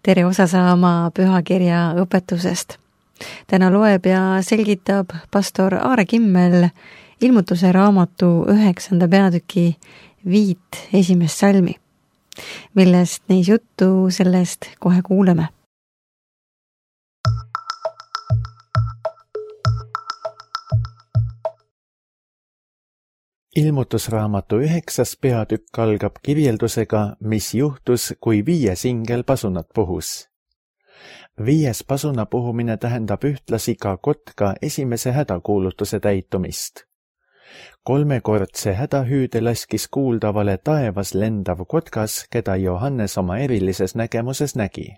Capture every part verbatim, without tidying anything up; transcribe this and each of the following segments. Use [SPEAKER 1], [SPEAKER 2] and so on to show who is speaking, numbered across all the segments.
[SPEAKER 1] tere osa saama pühakirja õpetusest. Täna loeb ja selgitab pastor Aare Kimmel ilmutuse raamatu üheksanda peatüki viit esimest salmi. Millest neis juttu, sellest kohe kuuleme.
[SPEAKER 2] Ilmutusraamatu üheksas peatükk algab kirjeldusega, mis juhtus, kui viies ingel pasunat puhus. Viies pasuna puhumine tähendab ühtlasi ka kotka esimese hädakuulutuse täitumist. Kolmekordse hädahüüde laskis kuuldavale taevas lendav kotkas, keda Johannes oma erilises nägemuses nägi.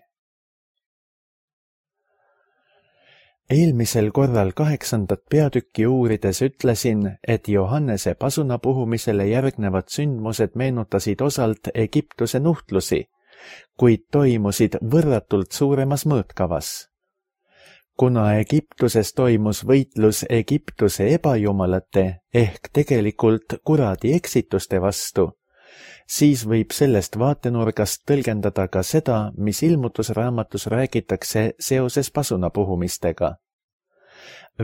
[SPEAKER 2] Eelmisel korral kaheksandat peatükki uurides ütlesin, et Johannese pasuna puhumisele järgnevad sündmused meenutasid osalt Egiptuse nuhtlusi, kuid toimusid võrratult suuremas mõõtkavas. Kuna Egiptuses toimus võitlus Egiptuse ebajumalate ehk tegelikult kuradi eksituste vastu, siis võib sellest vaatenurgast tõlgendada ka seda, mis ilmutusraamatus räägitakse seoses pasuna puhumistega.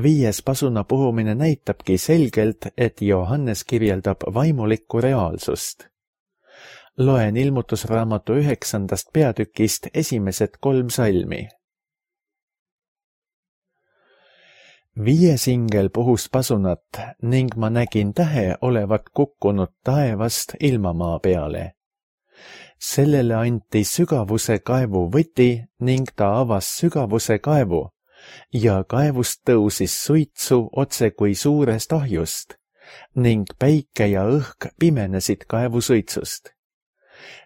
[SPEAKER 2] Viies pasuna puhumine näitabki selgelt, et Johannes kirjeldab vaimulikku reaalsust. Loen ilmutusraamatu üheksandast peatükist esimesed kolm salmi. Viies ingel puhus pasunat ning ma nägin tähe olevat kukkunud taevast ilmamaa peale. Sellele anti sügavuse kaevu võti ning ta avas sügavuse kaevu ja kaevust tõusis suitsu otse kui suurest ahjust ning päike ja õhk pimenesid kaevu suitsust.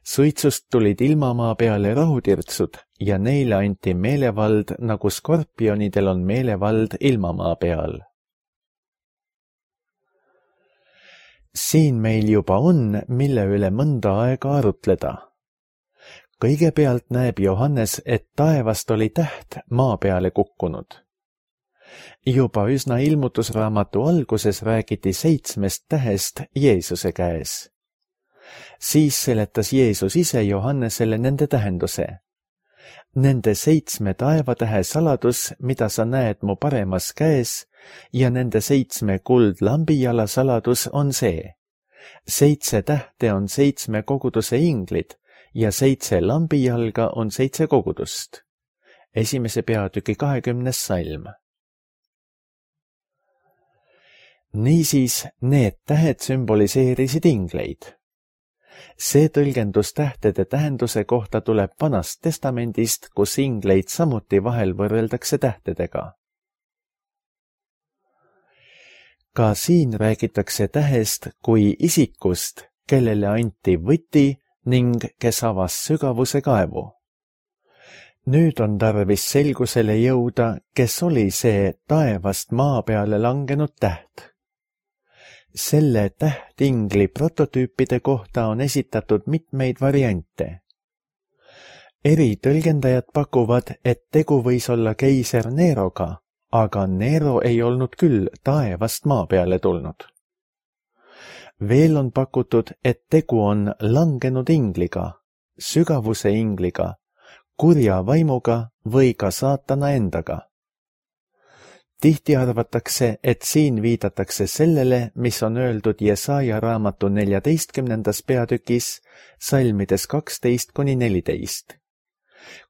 [SPEAKER 2] Suitsust tulid ilmamaa peale rahutirtsud ja neile anti meelevald, nagu skorpionidel on meelevald ilmamaa peal. Siin meil juba on, mille üle mõnda aega arutleda. Kõigepealt näeb Johannes, et taevast oli täht maa peale kukkunud. Juba üsna ilmutusraamatu alguses räägiti seitsmest tähest Jeesuse käes. Siis seletas Jeesus ise Johannesele nende tähenduse. Nende seitsme taevatähe saladus, mida sa näed mu paremas käes, ja nende seitsme kuldlambijala saladus on see. Seitse tähte on seitsme koguduse inglid ja seitse lambijalga on seitse kogudust. Esimese peatüki kahekümnes salm. Niisiis, need tähed sümboliseerisid ingleid. See tõlgendus tähtede tähenduse kohta tuleb Vanast testamendist, kus ingleid samuti vahel võrreldakse tähtedega. Ka siin räägitakse tähest kui isikust, kellele anti võti ning kes avas sügavuse kaevu. Nüüd on tarvis selgusele jõuda, kes oli see taevast maa peale langenud täht. Selle tähtingli prototüüpide kohta on esitatud mitmeid variante. Eri tõlgendajad pakuvad, et tegu võis olla keiser Neroga, aga Nero ei olnud küll taevast maa peale tulnud. Veel on pakutud, et tegu on langenud ingliga, sügavuse ingliga, kurja vaimuga või ka saatana endaga. Tihti arvatakse, et siin viidatakse sellele, mis on öeldud Jesaja raamatu neljateistkümnendas peatükis, salmides kaksteist kuni neliteist.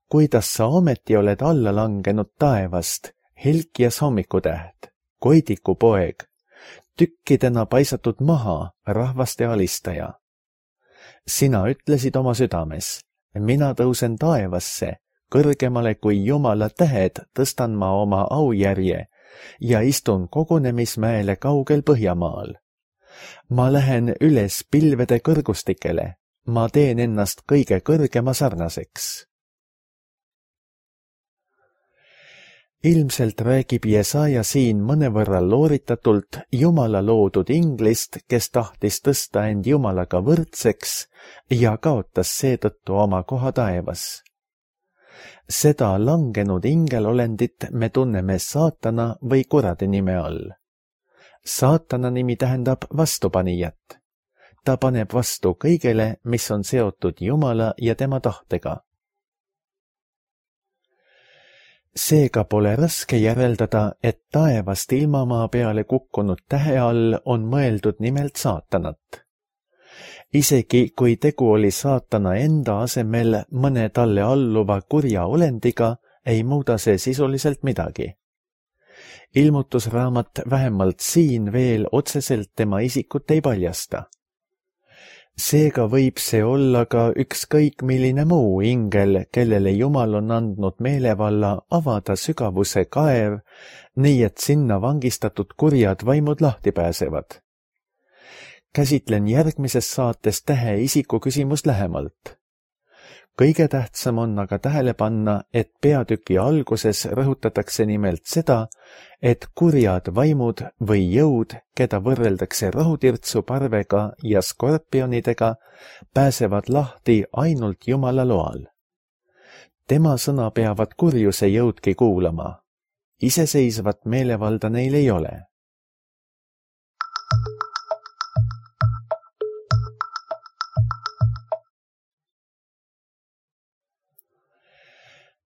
[SPEAKER 2] Kuidas sa ometi oled alla langenud taevast, Helkias hommikutäht, Koidiku poeg, tükkidena paisatud maha, rahvaste alistaja. Sina ütlesid oma südames, mina tõusen taevasse, kõrgemale kui Jumala tähed tõstan ma oma aujärje ja istun kogunemismäele kaugel Põhjamaal. Ma lähen üles pilvede kõrgustikele, ma teen ennast kõige kõrgema sarnaseks. Ilmselt räägib Jesaja siin mõnevõrra looritatult Jumala loodud inglist, kes tahtis tõsta end Jumalaga võrdseks ja kaotas seetõttu oma koha taevas. Seda langenud ingelolendit me tunneme saatana või kuradi nime all. Saatana nimi tähendab vastupanijat. Ta paneb vastu kõigele, mis on seotud Jumala ja tema tahtega. Seega pole raske järeldada, et taevast ilmamaa peale kukkunud tähe all on mõeldud nimelt saatanat. Isegi kui tegu oli saatana enda asemel mõne talle alluva kurja olendiga, ei muuda see sisuliselt midagi. Ilmutusraamat vähemalt siin veel otseselt tema isikut ei paljasta. Seega võib see olla ka ükskõik milline muu ingel, kellele Jumal on andnud meelevalla avada sügavuse kaev, nii et sinna vangistatud kurjad vaimud lahti pääsevad. Käsitlen järgmises saates tähe isiku küsimust lähemalt. Kõige tähtsam on aga tähele panna, et peatüki alguses rõhutatakse nimelt seda, et kurjad vaimud või jõud, keda võrreldakse rohutirtsu parvega ja skorpionidega, pääsevad lahti ainult Jumala loal. Tema sõna peavad kurjuse jõudki kuulama. Iseseisvat meelevalda neil ei ole.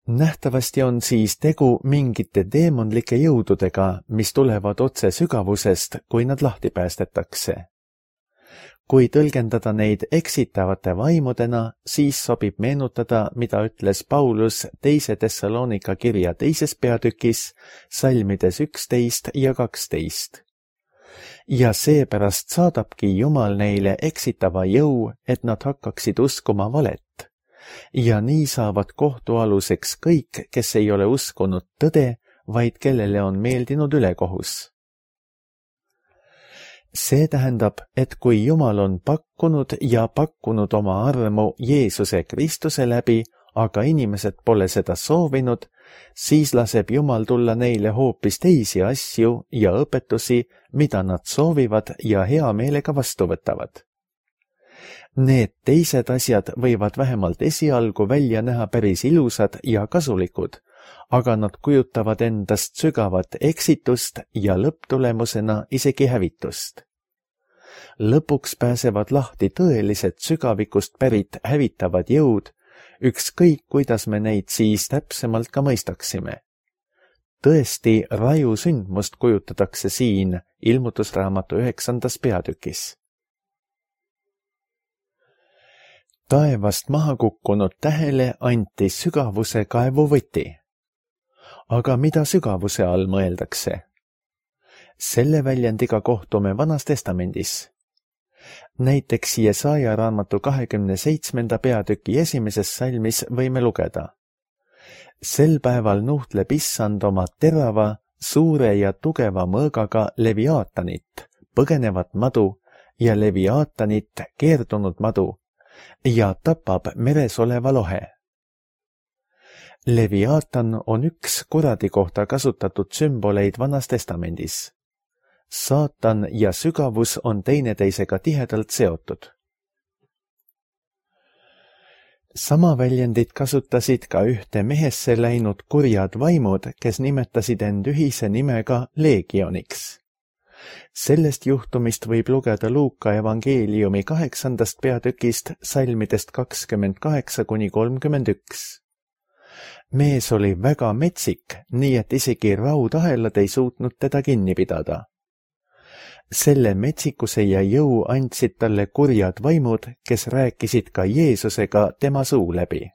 [SPEAKER 2] Nähtavasti on siis tegu mingite teemonlike jõududega, mis tulevad otse sügavusest, kui nad lahti päästetakse. Kui tõlgendada neid eksitavate vaimudena, siis sobib meenutada, mida ütles Paulus teise Thessalonika kirja teises peatükis, salmides üksteist ja kaksteist. Ja seepärast saadabki Jumal neile eksitava jõu, et nad hakkaksid uskuma valet. Ja nii saavad kohtualuseks kõik, kes ei ole uskunud tõde, vaid kellele on meeldinud ülekohus. See tähendab, et kui Jumal on pakkunud ja pakkunud oma armu Jeesuse Kristuse läbi, aga inimesed pole seda soovinud, siis laseb Jumal tulla neile hoopis teisi asju ja õpetusi, mida nad soovivad ja hea meelega vastu võtavad. Need teised asjad võivad vähemalt esialgu välja näha päris ilusad ja kasulikud, aga nad kujutavad endast sügavat eksitust ja lõpptulemusena isegi hävitust. Lõpuks pääsevad lahti tõelised sügavikust pärit hävitavad jõud, ükskõik kuidas me neid siis täpsemalt ka mõistaksime. Tõesti, raju sündmust kujutatakse siin ilmutusraamatu üheksandas peatükis. Taevast maha kukkunud tähele anti sügavuse kaevu võti. Aga mida sügavuse all mõeldakse? Selle väljendiga kohtume Vanas Testamendis. Näiteks Jesaja raamatu kahekümne seitsmenda peatüki esimeses salmis võime lugeda. Sel päeval nuhtleb issand oma terava, suure ja tugeva mõõgaga leviaatanit, põgenevat madu ja leviaatanit, keerdunud madu, ja tapab meres oleva lohe. Leviaatan on üks kuradi kohta kasutatud sümboleid Vanas Testamendis. Saatan ja sügavus on teineteisega tihedalt seotud. Sama väljendit kasutasid ka ühte mehesse läinud kurjad vaimud, kes nimetasid end ühise nimega leegioniks. Sellest juhtumist võib lugeda Luuka evangeeliumi kaheksandast peatükist salmidest kakskümmend kaheksa kuni kolmkümmend üks. Mees oli väga metsik, nii et isegi raudahelad ei suutnud teda kinni pidada. Selle metsikuse ja jõu andsid talle kurjad vaimud, kes rääkisid ka Jeesusega tema suu läbi.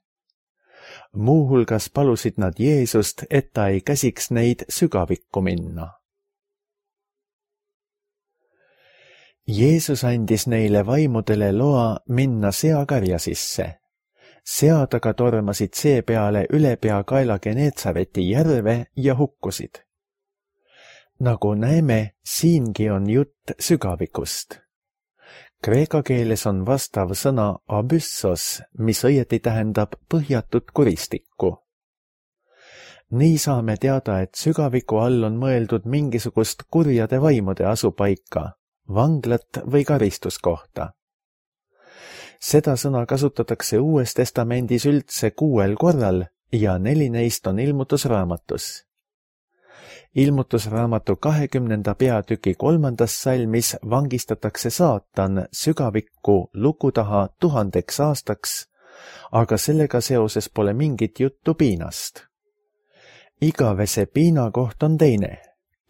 [SPEAKER 2] Muuhulgas palusid nad Jeesust, et ta ei käsiks neid sügavikku minna. Jeesus andis neile vaimudele loa minna seakarja sisse. Sead aga tormasid see peale ülepea Geneetsareti järve ja hukkusid. Nagu näeme, siingi on jutt sügavikust. Kreeka keeles on vastav sõna abyssos, mis õieti tähendab põhjatut kuristikku. Nii saame teada, et sügaviku all on mõeldud mingisugust kurjade vaimude asupaika, vanglat või karistuskohta. Seda sõna kasutatakse Uues Testamendis üldse kuuel korral ja neli neist on ilmutusraamatus. Ilmutusraamatu kahekümnenda peatüki kolmandas salmis vangistatakse saatan sügavikku luku taha tuhandeks aastaks, aga sellega seoses pole mingit juttu piinast. igavese piina koht on teine,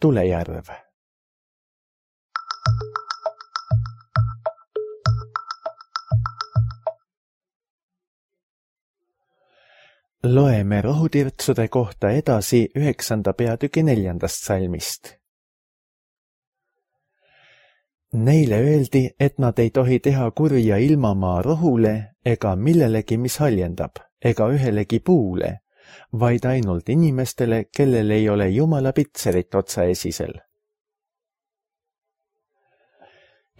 [SPEAKER 2] tulejärv. Loeme rohutirtsude kohta edasi üheksanda peatüki neljandast salmist. Neile öeldi, et nad ei tohi teha kurja ilmamaa rohule ega millelegi, mis haljendab, ega ühelegi puule, vaid ainult inimestele, kellel ei ole Jumala pitserit otsaesisel.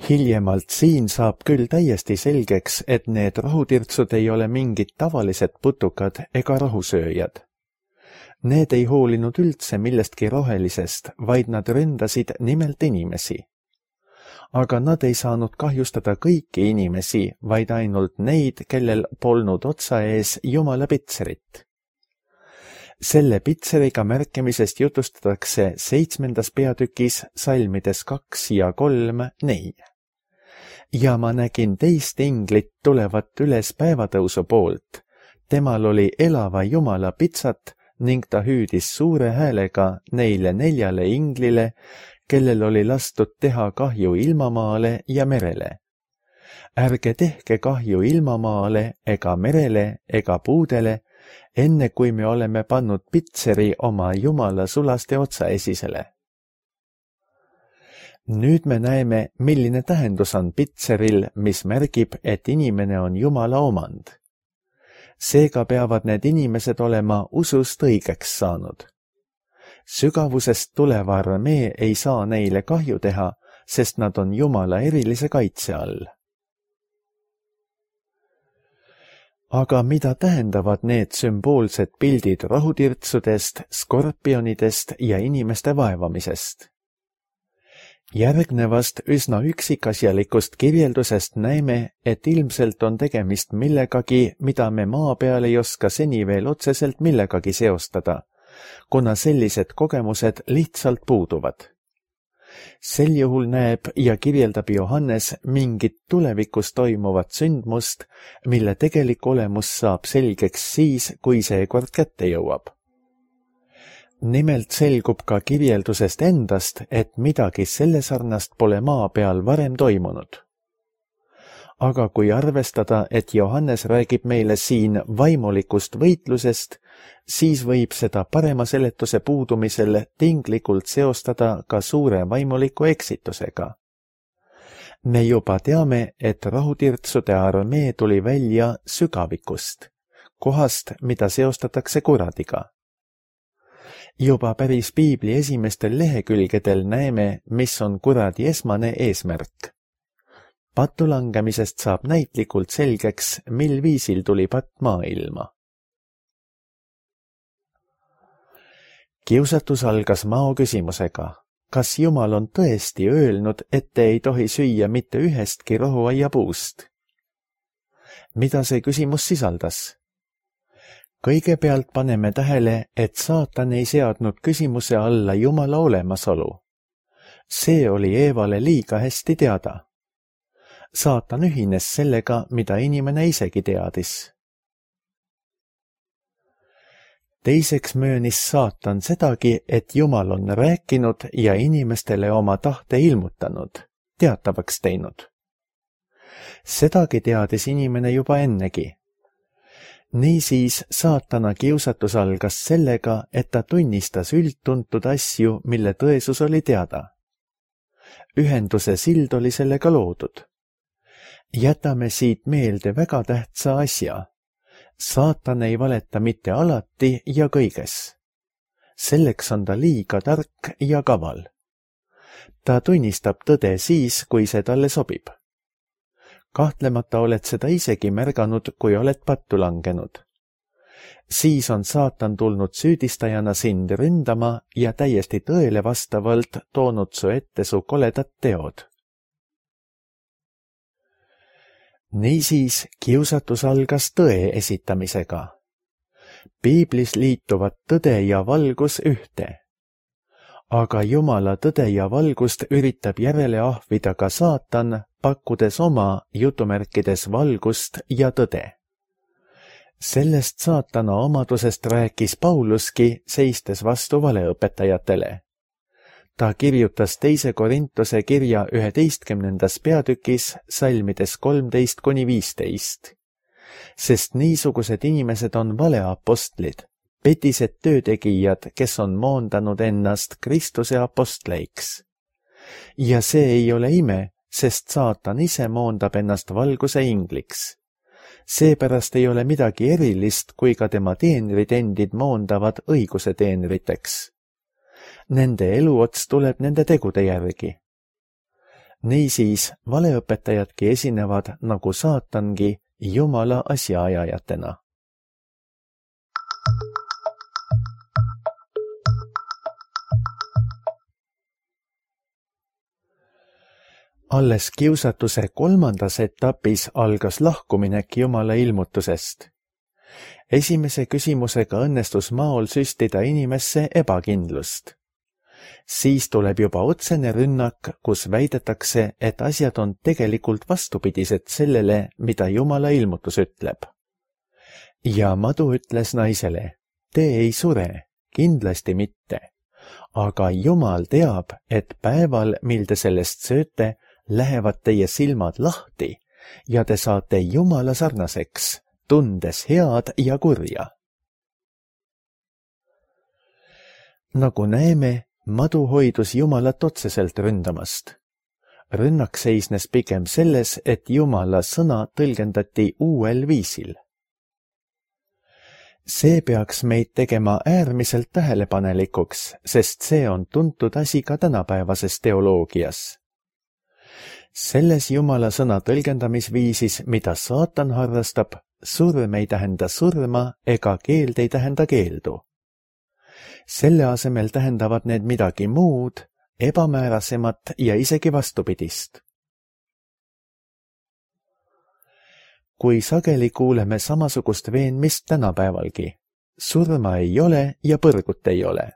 [SPEAKER 2] Hiljemalt siin saab küll täiesti selgeks, et need rohutirtsud ei ole mingid tavalised putukad ega rohusööjad. Need ei hoolinud üldse millestki rohelisest, vaid nad ründasid nimelt inimesi. Aga nad ei saanud kahjustada kõiki inimesi, vaid ainult neid, kellel polnud otsa ees Jumala pitserit. Selle pitseriga märkimisest jutustatakse seitsmendas peatükis salmides kaks ja kolm nii. Ja ma nägin teist inglit tulevat üles päevatõusu poolt. Temal oli elava Jumala pitsat ning ta hüüdis suure häälega neile neljale inglile, kellel oli lastud teha kahju ilmamaale ja merele. Ärge tehke kahju ilmamaale ega merele ega puudele, enne kui me oleme pannud pitseri oma Jumala sulaste otsaesisele. Nüüd me näeme, milline tähendus on pitseril, mis märgib, et inimene on Jumala omand. Seega peavad need inimesed olema usust õigeks saanud. Sügavusest tuleva armee ei saa neile kahju teha, sest nad on Jumala erilise kaitse all. Aga mida tähendavad need sümboolsed pildid rohutirtsudest, skorpionidest ja inimeste vaevamisest? Järgnevast üsna üksikasjalikust kirjeldusest näeme, et ilmselt on tegemist millegagi, mida me maa peal ei oska seni veel otseselt millegagi seostada, kuna sellised kogemused lihtsalt puuduvad. Sel juhul näeb ja kirjeldab Johannes mingit tulevikus toimuvat sündmust, mille tegelik olemus saab selgeks siis, kui see kord kätte jõuab. Nimelt selgub ka kirjeldusest endast, et midagi selle sarnast pole maa peal varem toimunud. Aga kui arvestada, et Johannes räägib meile siin vaimulikust võitlusest, siis võib seda parema seletuse puudumisel tinglikult seostada ka suure vaimuliku eksitusega. Me juba teame, et rohutirtsude armee tuli välja sügavikust, kohast, mida seostatakse kuradiga. Juba päris piibli esimestel lehekülgedel näeme, mis on kuradi esmane eesmärk. Patulangemisest saab näitlikult selgeks, mil viisil tuli patt maailma. Kiusatus algas Mao küsimusega, kas Jumal on tõesti öelnud, et te ei tohi süüa mitte ühestki rohuaiapuust? Mida see küsimus sisaldas? Kõigepealt paneme tähele, et saatan ei seadnud küsimuse alla Jumala olemasolu. See oli Eevale liiga hästi teada. Saatan ühines sellega, mida inimene isegi teadis. Teiseks möönis saatan sedagi, et Jumal on rääkinud ja inimestele oma tahte ilmutanud, teatavaks teinud. Sedagi teadis inimene juba ennegi. Niisiis saatana kiusatus algas sellega, et ta tunnistas üldtuntud asju, mille tõesus oli teada. Ühenduse sild oli sellega loodud. Jätame siit meelde väga tähtsa asja. Saatan ei valeta mitte alati ja kõiges. Selleks on ta liiga tark ja kaval. Ta tunnistab tõde siis, kui see talle sobib. Kahtlemata oled seda isegi märganud, kui oled pattu langenud. Siis on saatan tulnud süüdistajana sind ründama ja täiesti tõele vastavalt toonud su ette su koledad teod. Niisiis kiusatus algas tõe esitamisega. Piiblis liituvad tõde ja valgus ühte. Aga Jumala tõde ja valgust üritab järele ahvida ka saatan, pakkudes oma jutumärkides valgust ja tõde. Sellest saatana omadusest rääkis Pauluski, seistes vastu valeõpetajatele. Ta kirjutas teise Korintuse kirja üheteistkümnendas peatükis salmides kolmteist kuni viisteist. Sest niisugused inimesed on valeapostlid, petised töötegijad, kes on moondanud ennast Kristuse apostleiks. Ja see ei ole ime, sest saatan ise moondab ennast valguse ingliks. Seepärast ei ole midagi erilist, kui ka tema teenrid endid moondavad õiguse teenriteks. Nende eluots tuleb nende tegude järgi. Niisiis, valeõpetajadki esinevad nagu saatangi Jumala asjaajajatena. Alles kiusatuse kolmandas etapis algas lahkuminek Jumala ilmutusest. Esimese küsimusega õnnestus maol süstida inimesse ebakindlust. Siis tuleb juba otsene rünnak, kus väidetakse, et asjad on tegelikult vastupidised sellele, mida Jumala ilmutus ütleb. Ja madu ütles naisele, te ei sure, kindlasti mitte. Aga Jumal teab, et päeval, mil te sellest sööte, lähevad teie silmad lahti ja te saate Jumala sarnaseks, tundes head ja kurja. Nagu näeme, madu hoidus Jumalat otseselt ründamast. Rünnak seisnes pigem selles, et Jumala sõna tõlgendati uuel viisil. See peaks meid tegema äärmiselt tähelepanelikuks, sest see on tuntud asi ka tänapäevases teoloogias. Selles Jumala sõna tõlgendamisviisis, mida saatan harrastab, surm ei tähenda surma ega keeld ei tähenda keeldu. Selle asemel tähendavad need midagi muud, ebamäärasemat ja isegi vastupidist. Kui sageli kuuleme samasugust veenmist tänapäevalgi, surma ei ole ja põrgut ei ole.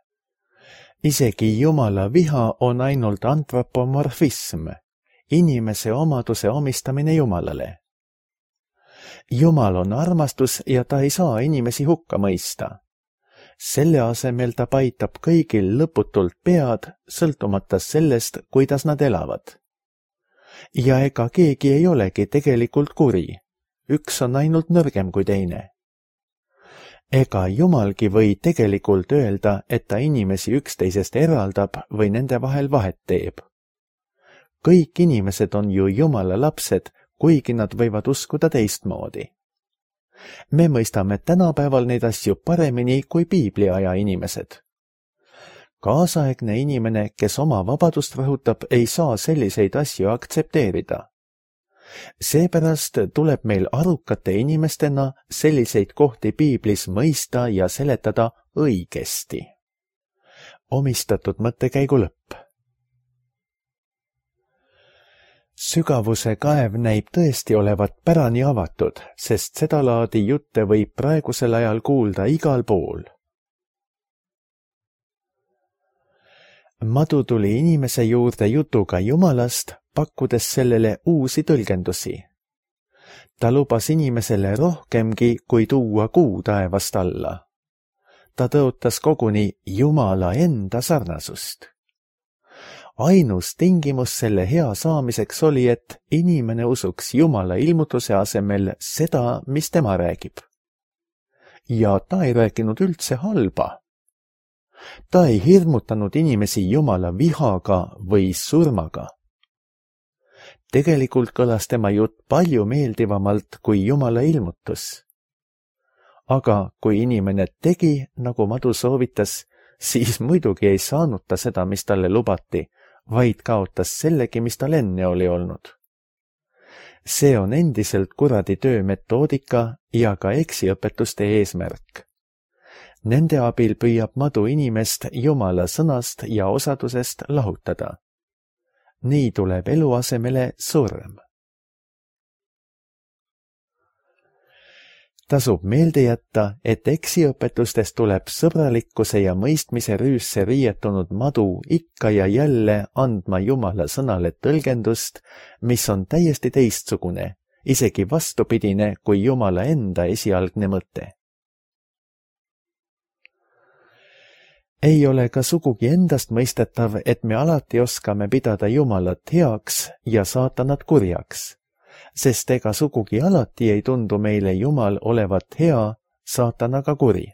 [SPEAKER 2] Isegi Jumala viha on ainult antropomorfism, inimese omaduse omistamine Jumalale. Jumal on armastus ja ta ei saa inimesi hukka mõista. Selle asemel ta paitab kõigil lõputult pead, sõltumata sellest, kuidas nad elavad. Ja ega keegi ei olegi tegelikult kuri. Üks on ainult nõrgem kui teine. Ega Jumalgi või tegelikult öelda, et ta inimesi üksteisest eraldab või nende vahel vahet teeb. Kõik inimesed on ju Jumala lapsed, kuigi nad võivad uskuda teistmoodi. Me mõistame tänapäeval neid asju paremini kui piibliaja inimesed. Kaasaegne inimene, kes oma vabadust rõhutab, ei saa selliseid asju aktsepteerida. Seepärast tuleb meil arukate inimestena selliseid kohti piiblis mõista ja seletada õigesti. Omistatud mõttekäigu lõpp. Sügavuse kaev näib tõesti olevat pärani avatud, sest seda laadi jutte võib praegusel ajal kuulda igal pool. Madu tuli inimese juurde jutuga Jumalast, pakkudes sellele uusi tõlgendusi. Ta lubas inimesele rohkemgi, kui tuua kuu taevast alla. Ta tõotas koguni Jumala enda sarnasust. Ainus tingimus selle hea saamiseks oli, et inimene usuks Jumala ilmutuse asemel seda, mis tema räägib. Ja ta ei rääkinud üldse halba. Ta ei hirmutanud inimesi Jumala vihaga või surmaga. Tegelikult kõlas tema jutt palju meeldivamalt kui Jumala ilmutus. Aga kui inimene tegi, nagu Madu soovitas, siis muidugi ei saanud ta seda, mis talle lubati, vaid kaotas sellegi, mis tal enne oli olnud. See on endiselt kuradi töömetoodika ja ka eksiõpetuste eesmärk. Nende abil püüab Madu inimest Jumala sõnast ja osadusest lahutada. Nii tuleb elu asemele surm. Tasub meelde jätta, et eksiõpetustest tuleb sõbralikkuse ja mõistmise rüüsse riietunud Madu ikka ja jälle andma Jumala sõnale tõlgendust, mis on täiesti teistsugune isegi vastupidine kui Jumala enda esialgne mõte. Ei ole ka sugugi endast mõistetav, et me alati oskame pidada Jumalat heaks ja saatanat kurjaks, sest ega sugugi alati ei tundu meile Jumal olevat hea, saatanaga kuri.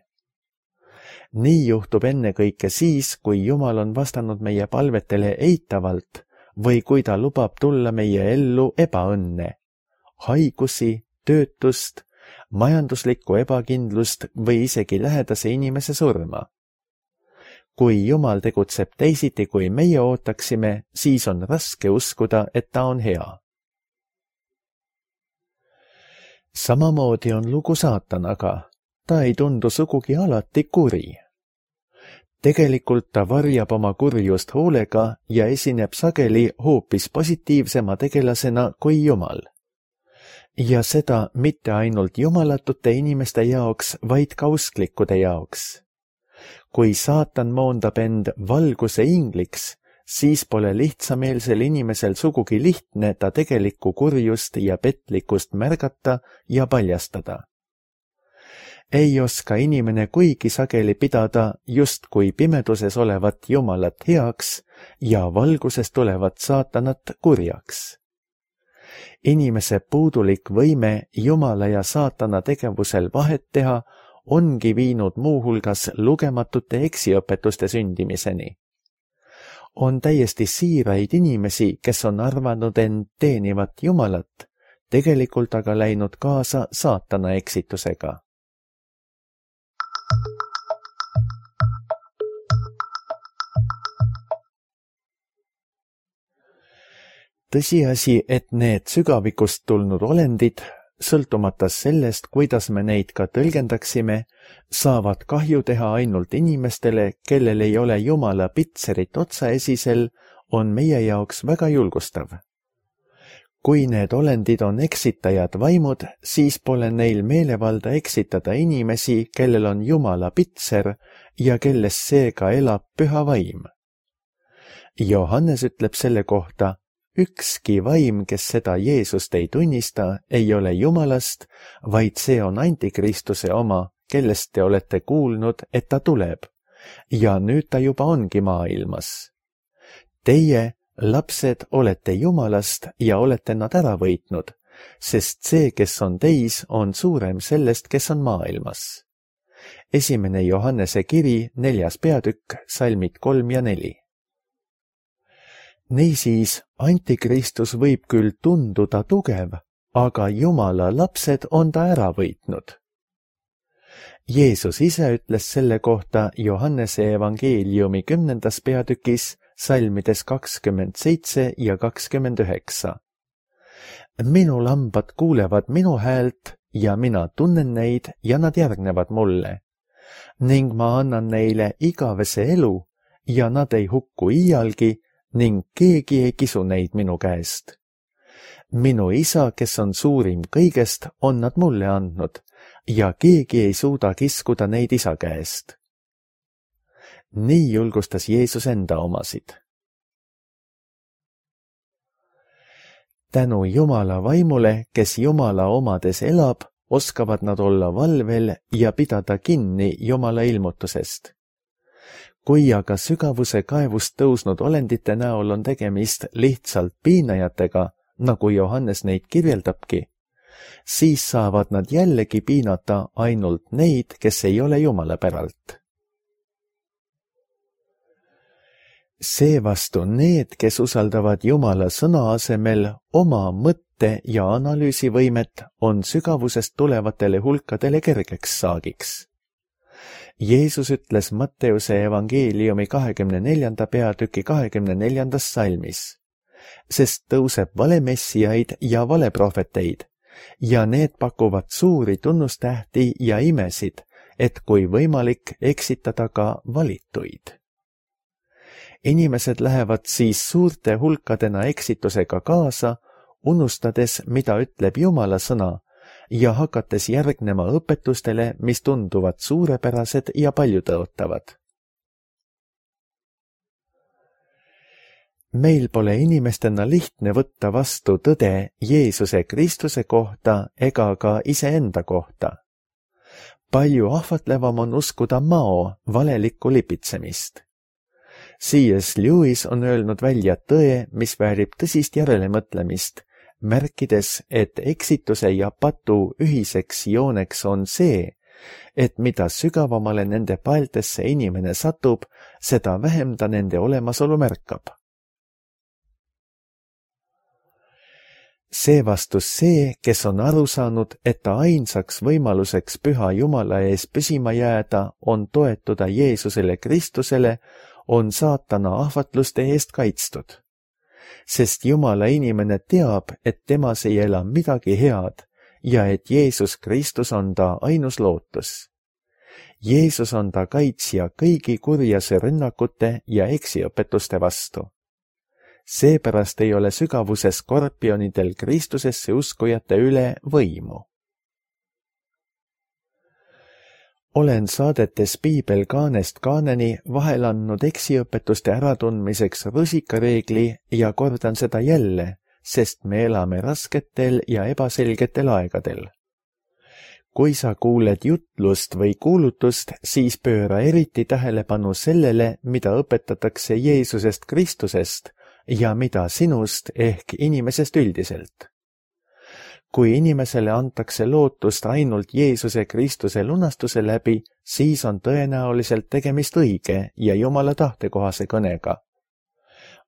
[SPEAKER 2] Nii juhtub ennekõike siis, kui Jumal on vastanud meie palvetele eitavalt või kui ta lubab tulla meie ellu ebaõnne, haigusi, töötust, majanduslikku ebakindlust või isegi lähedase inimese surma. Kui Jumal tegutseb teisiti, kui meie ootaksime, siis on raske uskuda, et ta on hea. Samamoodi on lugu saatanaga. Ta ei tundu sugugi alati kuri. Tegelikult ta varjab oma kurjust hoolega ja esineb sageli hoopis positiivsema tegelasena kui Jumal. Ja seda mitte ainult jumalatute inimeste jaoks, vaid ka usklikkude jaoks. Kui saatan moondab end valguse ingliks, siis pole lihtsameelsel inimesel sugugi lihtne ta tegelikku kurjust ja petlikkust märgata ja paljastada. Ei oska inimene kuigi sageli pidada justkui pimeduses olevat Jumalat heaks ja valgusest tulevat saatanat kurjaks. Inimese puudulik võime Jumala ja saatana tegevusel vahet teha ongi viinud muuhulgas lugematute eksiõpetuste sündimiseni. On täiesti siiraid inimesi, kes on arvanud end teenivat Jumalat, tegelikult aga läinud kaasa saatana eksitusega. Tõsiasi, et need sügavikust tulnud olendid, sõltumata sellest, kuidas me neid ka tõlgendaksime, saavad kahju teha ainult inimestele, kellel ei ole Jumala pitserit otsaesisel, on meie jaoks väga julgustav. Kui need olendid on eksitajad vaimud, siis pole neil meelevalda eksitada inimesi, kellel on Jumala pitser ja kelles seega elab püha vaim. Johannes ütleb selle kohta, ükski vaim, kes seda Jeesust ei tunnista, ei ole Jumalast, vaid see on Antikristuse oma, kellest te olete kuulnud, et ta tuleb, ja nüüd ta juba ongi maailmas. Teie, lapsed, olete Jumalast ja olete nad ära võitnud, sest see, kes on teis, on suurem sellest, kes on maailmas. Esimene Johannese kiri, neljas peatükk, salmid kolm ja neli. Niisiis, Antikristus võib küll tunduda tugev, aga Jumala lapsed on ta ära võitnud. Jeesus ise ütles selle kohta Johannese evangeeliumi kümnendas peatükis, salmides kakskümmend seitse ja kakskümmend üheksa. Minu lambad kuulevad minu häält ja mina tunnen neid ja nad järgnevad mulle. Ning ma annan neile igavese elu ja nad ei hukku iialgi ning keegi ei kisu neid minu käest. Minu isa, kes on suurim kõigest, on nad mulle andnud ja keegi ei suuda kiskuda neid isa käest. Nii julgustas Jeesus enda omasid. Tänu Jumala vaimule, kes Jumala omades elab, oskavad nad olla valvel ja pidada kinni Jumala ilmutusest. Kui aga sügavuse kaevust tõusnud olendite näol on tegemist lihtsalt piinajatega, nagu Johannes neid kirjeldabki, siis saavad nad jällegi piinata ainult neid, kes ei ole Jumala päralt. Seevastu need, kes usaldavad Jumala sõna asemel oma mõtte- ja analüüsivõimet, on sügavusest tulevatele hulkadele kergeks saagiks. Jeesus ütles Matteuse evangeeliumi kahekümne neljanda peatüki kahekümne neljandas salmis, sest tõuseb valemessiaid ja valeprohveteid, ja need pakuvad suuri tunnustähti ja imesid, et kui võimalik eksitada ka valituid. Inimesed lähevad siis suurte hulkadena eksitusega kaasa, unustades, mida ütleb Jumala sõna, ja hakates järgnema õpetustele, mis tunduvad suurepärased ja paljutõotavad. Meil pole inimestena lihtne võtta vastu tõde Jeesuse Kristuse kohta ega ka iseenda kohta. Palju ahvatlevam on uskuda mao valelikku lipitsemist. C S Lewis on öelnud välja tõe, mis väärib tõsist järelemõtlemist, märkides, et eksituse ja patu ühiseks jooneks on see, et mida sügavamale nende paeltesse inimene satub, seda vähem ta nende olemasolu märkab. Seevastus see, kes on aru saanud, et ta ainsaks võimaluseks püha Jumala ees püsima jääda, on toetuda Jeesusele Kristusele, on saatana ahvatluste eest kaitstud. Sest Jumala inimene teab, et temas ei ela midagi head ja et Jeesus Kristus on ta ainus lootus. Jeesus on ta kaitsja kõigi kurjase rünnakute ja eksiõpetuste vastu. Seepärast ei ole sügavuse skorpionidel Kristusesse uskujate üle võimu. Olen saadetes Piibel kaanest kaaneni vahel andnud eksiõpetuste äratundmiseks rusikareegli ja kordan seda jälle, sest me elame rasketel ja ebaselgetel aegadel. Kui sa kuuled jutlust või kuulutust, siis pööra eriti tähelepanu sellele, mida õpetatakse Jeesusest Kristusest ja mida sinust ehk inimesest üldiselt. Kui inimesele antakse lootust ainult Jeesuse Kristuse lunastuse läbi, siis on tõenäoliselt tegemist õige ja Jumala tahtekohase kõnega.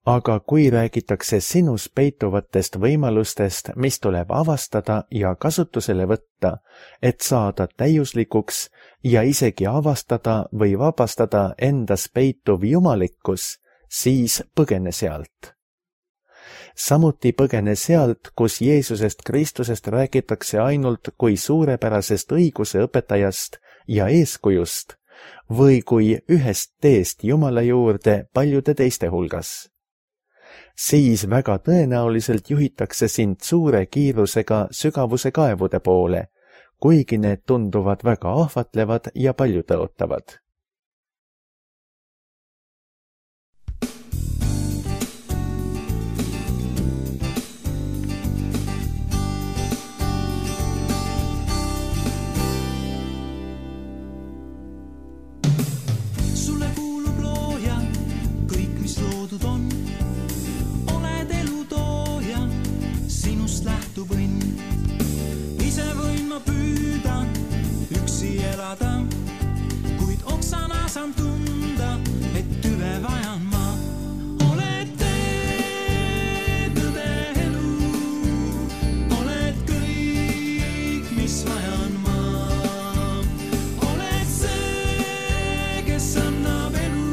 [SPEAKER 2] Aga kui räägitakse sinus peituvatest võimalustest, mis tuleb avastada ja kasutusele võtta, et saada täiuslikuks ja isegi avastada või vabastada endas peituv jumalikkus, siis põgene sealt. Samuti põgene sealt, kus Jeesusest Kristusest räägitakse ainult kui suurepärasest õiguse õpetajast ja eeskujust või kui ühest teest Jumala juurde paljude teiste hulgas. Siis väga tõenäoliselt juhitakse sind suure kiirusega sügavuse kaevude poole, kuigi need tunduvad väga ahvatlevad ja paljutõotavad.
[SPEAKER 3] Kuid oksana saan tunda, et tüve vajan ma. Oled tee, tõde elu, oled kõik, mis vajan ma. Oled see, kes annab elu,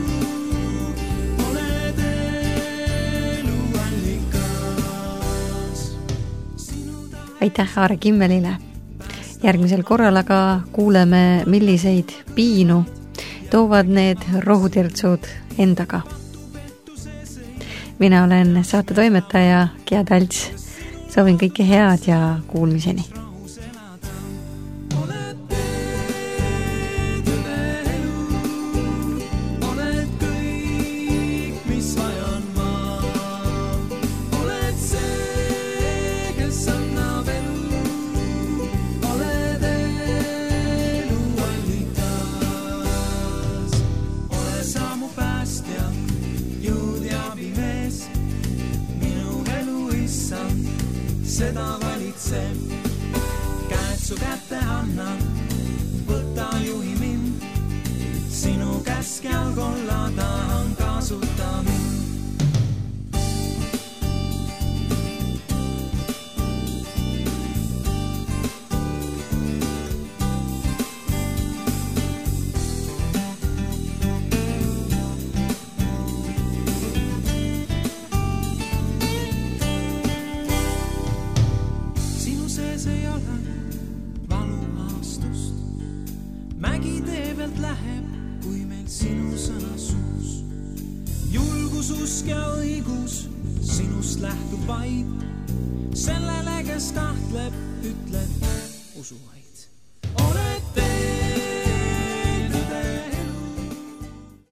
[SPEAKER 3] oled elu allikas.
[SPEAKER 1] Aitäh Aare Kimmelile! Järgmisel korral aga kuuleme, milliseid piinu toovad need rohutirtsud endaga. Mina olen saate toimetaja Gea Talts. Soovin kõike head ja kuulmiseni.
[SPEAKER 3] Seda valitseb, käed su kätte annan, võta juhi mind, sinu käskjal kollada on kasuta mind. Mägi tee pealt läheb, kui meil sinu sõna suus. Julgus, usk ja õigus sinust lähtub vaid. Sellele, kes kahtleb, ütleb usu vaid.